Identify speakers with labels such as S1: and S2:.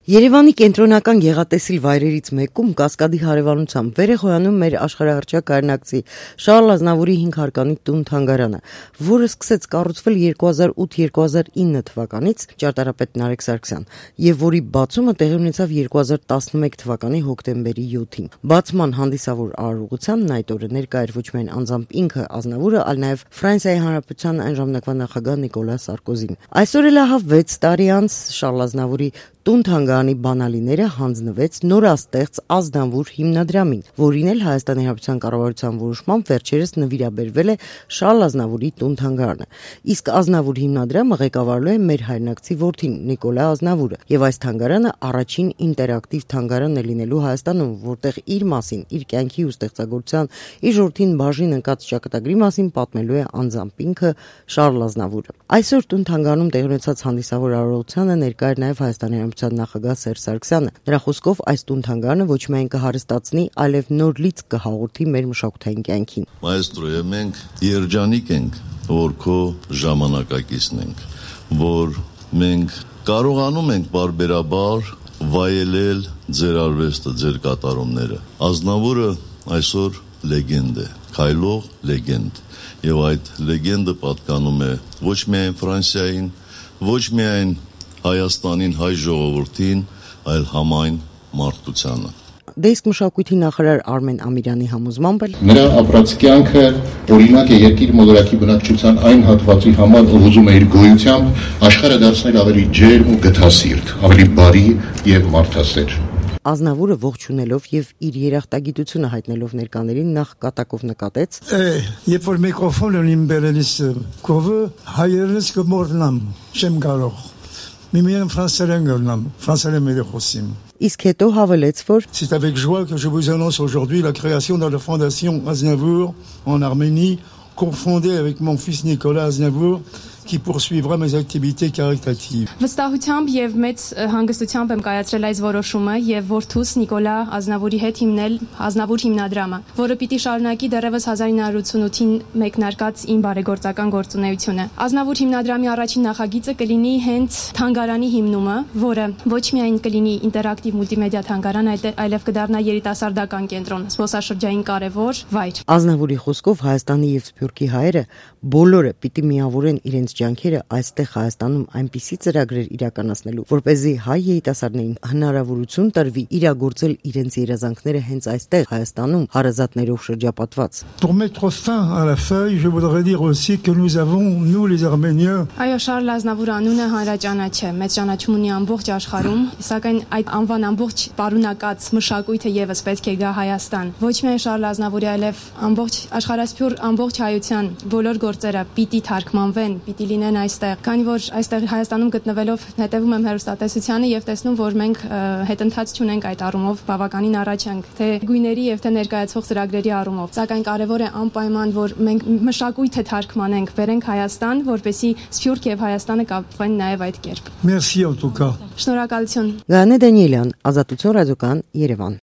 S1: Երևանի կենտրոնական գեղատեսիլ վայրերից մեկում կասկադի հարևանությամբ վեր է խոյանում մեր աշխարհահռչակ կայրնակցի Շարլ Ազնավուրի 5 հարկանի տուն-թանգարանը, որը սկսեց կառուցվել 2008-2009 թվականից ճարտարապետ Նարեկ Սարգսյան եւ որի բացումը տեղի ունեցավ 2011 թվականի հոկտեմբերի 7-ին։ Բացման հանդիսավոր արարողությանն այդ օրը ներկա էր ոչ միայն անձամբ ինքը Ազնավուրը, այլ նաեւ Ֆրանսիայի Հանրապետության այն ժամանակվա նախագահ Նիկոլա Սարկոզին։ Այսօր էլ ահա 6 տարի անց Շարլ Ազնավուրի տուն-թանգարանի բանալիները հանձնվեց նորաստեղծ Ազնավուր հիմնադրամին, որին էլ Հայաստանի Հանրապետության կառավարության որոշմամբ վերջերս նվիրաբերվել է Շարլ Ազնավուրի տուն-թանգարանը։ Իսկ Ազնավուր հիմնադրամը ղեկավարելու է մեր հայրենակցի որդին Նիկոլա Ազնավուրը, եւ այս թանգարանը առաջին ինտերակտիվ թանգարանն է լինելու Հայաստանում, որտեղ իր մասին, իր կյանքի ու ստեղծագործության, իր ժողովրդին բաժին ընկած ճակատագրի մասին պատմելու է անձամբ ինքը Շարլ Ազնավուրը։ Այսօր տուն-թանգարանում տեղի ունեցած հանդիսավոր արարողությանը ներկա էր նաեւ Հայաստանի նախագահ Սերժ Սարգսյանը։ Նրա խոսքով այս տուն-թանգարանը ոչ միայն կհարստացնի, այլև նոր լիցք կհաղորդի մեր մշակութային կյանքին։
S2: Մայստրո, մենք երջանիկ ենք, որ քո ժամանակակիցն ենք, որ մենք կարողանում ենք բարբերաբար վայելել ձեր արվեստը, ձեր կատարումները։ Ազնավուրը այսօր լեգենդ է, քայլող լեգենդ, եւ այդ լեգենդը պատկանում է ոչ միայն Ֆրանսիային, ոչ միայն Հայաստանին, հայ ժողովրդին, այլ համայն մարդկությանը։
S1: Դե իսկ մշակույթի նախարար Արմեն Ամիրյանի համոզմամբ էլ
S3: նրա ապրած կյանքը օրինակ է երկիր մոլորակի բնակչության այն հատվածի համար, ով ուզում է իր գոյությամբ աշխարհը դարձնել ավելի ջերմ ու գթասիրտ, ավելի բարի եւ մարդասեր։
S1: Ազնավուրը ողջունելով եւ իր երախտագիտությունը հայտնելով ներկաներին նախ կատակով նկատեց.
S4: Երբ որ միկրոֆոնը իմ բերելիս կովը հայերենս կմոռնամ, չեմ կարող։ Միմիան ֆրանսերեն գտնամ, ֆրանսերեն մերխոսիմ։
S1: Իսկ հետո հավելեց, որ
S4: C'est avec joie que je vous annonce aujourd'hui la création de la fondation Aznavour en Arménie, confondée avec mon fils Nicolas Aznavour, qui poursuivra mes activités caritatives.
S5: Վստահությամբ եւ մեծ հանգստությամբ եմ կայացրել այս որոշումը եւ որդուս Նիկոլա Ազնավուրի հետ հիմնել Ազնավուր հիմնադրամը, որը պիտի շարունակի դեռևս 1988-ին մեկնարկած իմ բարեգործական գործունեությունը։ Ազնավուր հիմնադրամի առաջին նախագիծը կլինի հենց թանգարանի հիմնումը, որը ոչ միայն կլինի ինտերակտիվ մուլտիմեդիա թանգարան, այլև կդառնա երիտասարդական կենտրոն, զբոսաշրջային կարևոր վայր։
S1: Ազնավուրի խոսքով Հայաստանի եւ Սփյուռքի հայերը բոլորը պիտի միավորեն իրենց ջանքերը այստեղ Հայաստանում այնպիսի ծրագրեր իրականացնելու, որպեսզի հայ երիտասարդներին հնարավորություն տրվի իրագործել իրենց երազանքները հենց այստեղ Հայաստանում հարազատներով շրջապատված։
S4: Pour mettre fin à la feuille, je voudrais dire aussi que nous avons, nous les Arméniens,
S5: Այո, Շարլ Ազնավուր անունը հանրաճանաչ է, մեծ ճանաչում ունի ամբողջ աշխարհում, սակայն այդ անվան ամբողջ պարունակած մշակույթը եւս պետք է գա Հայաստան։ Ոչ միայն Շարլ Ազնավուրի, այլև ամբողջ աշխարհասփյուռ ամբողջ հայության բոլոր գործերը պիտի թարգմանվեն, պիտի լինեն այստեղ, քանի որ այստեղ Հայաստանում գտնվելով հետևում եմ հեռուստատեսությանը եւ տեսնում, որ մենք հետընթաց չունենք այդ առումով, բավականին առաջ ենք, թե գույների եւ թե ներկայացվող ծրագրերի առումով։ Սակայն կարեւոր է անպայման, որ մենք մշակույթը թարգմանենք, բերենք Հայաստան, որպեսզի Սփյուռք եւ Հայաստանը կապվեն նաեւ այդ կերպ։
S4: merci en tout cas.
S5: Շնորհակալություն։
S1: Գանե Դանիելյան, Ազատություն ռադիոկան, Երևան։